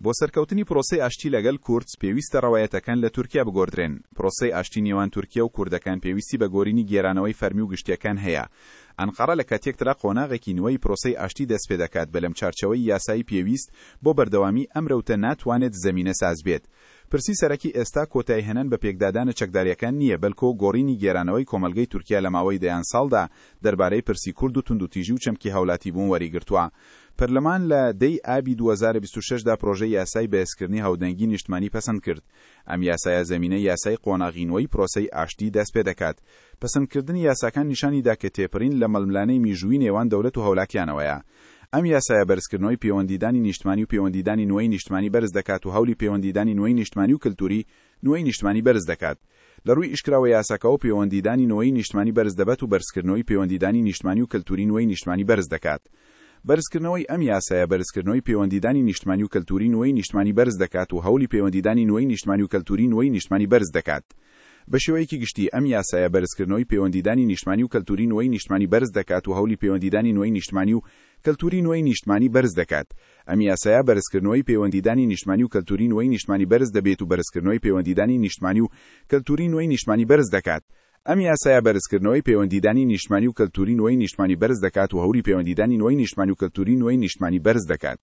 بۆ سەرکەوتنی پرۆسەی ئاشتی لەگەل کورد پێویستە رەوایەتەکان لە تورکیا بگۆردرێن. پرۆسەی ئاشتی نێوان تورکیا و کوردەکان پێویستی بە گۆرینی گێرانەوەی فەرمی و گشتیەکان هەیە. ئەنقەڕە لە کاتێکترا قۆناغێکی نویی پرۆسەی ئاشتی دەستپێدەکات بەلم چارچێوەی یاسایی پێویست بۆ بەردەوامی ئەم رەوتە ناتوانێت زەمینە سازبێت. پرسی سەرەکی ئێستا کۆتایهێنان بە پێکدادانە چەکداریەکان نییە بەلکۆ گۆڕینی گێرانەوەی کۆمەلگەی تورکیا لە ماوەی دەیان ساڵدا دەربارەی پرسی کورد و توندوتیژی و چەمکی هاولاتیبوون وەریگرتووە. پەرلەمان لە دە ی ئابی 2026 دا پرۆژەی یاسای بەهێزکردنی هاودەنگی نیشتمانی پەسەند کرد. ئەم یاسایە زەمینەی یاسای قۆناغی نوێی پرۆسەی ئاشتی دەستپێدەکات. پەسەندکردنی یاساکان نیشانی دا کە تێپرین لە ململانێی میژوویی نێوان دەولەت و هاولاتیانەوەیە. ئەم یاسایە بەرزکردنەوەی پێوەندیدانی نیشتمانی و پێوەندیدانی نوێی نیشتمانی بەرز دەکات و هەولی پێوەندیدانی نوێی نیشتمانی و کەلتوری نوێی نیشتمانی بەرز دەکات. لە رووی ئیشکراوە یاساکەوە پێوەندیدانی نوێی نیشتمانی بەرز دەبەت و بەرزکردنەوەی پێوەندیدانی نیشتمانی و کەلتوری نوێی نیشتمانی بەرز دەکات. بەرزکردنەوەی ئەم یاسایە بەرزکردنەوەی پێوەندیدانی نیشتمانی و کەلتوری نوێی نیشتمانی بەرز دەکات و هەولی پێوەندیدانی نوێی نیشتمانی و کەلتوری نوێی نیشتمانی بەرز دەکات. بە شێوەیەکی گشتی ئەم یاسایە بەرزکردنەوەی پێوەندیدانی نیشتمانی و کەلتوری نوێی نیشتمانی بەرز دەکات و هەولی پێوەندیدانی نوێی نیشتمانی و کەلتوری نوێی نیشتمانی بەرز دەکات. ئەم یاسایە بەرزکردنەوەی پێوەندیدانی نیشتمانی و کەلتوری نوێی نیشتمانی بەرز دەبێت و بەرزکردنەوەی پێوەندیدانی نیشتمانی و کەلتوری نوێی نیشتمانی بەرز دەکات. ئەم یاسایە بەرزکردنەوەی پێوەندیدانی نیشتمانی و کەلتوری نوێی نیشتمانی بەرز دەکات و هەولی پێوەندیدانی نوێی نیشتمانی و کەلتوری نوێی نیشتمانی بەرز دەکات.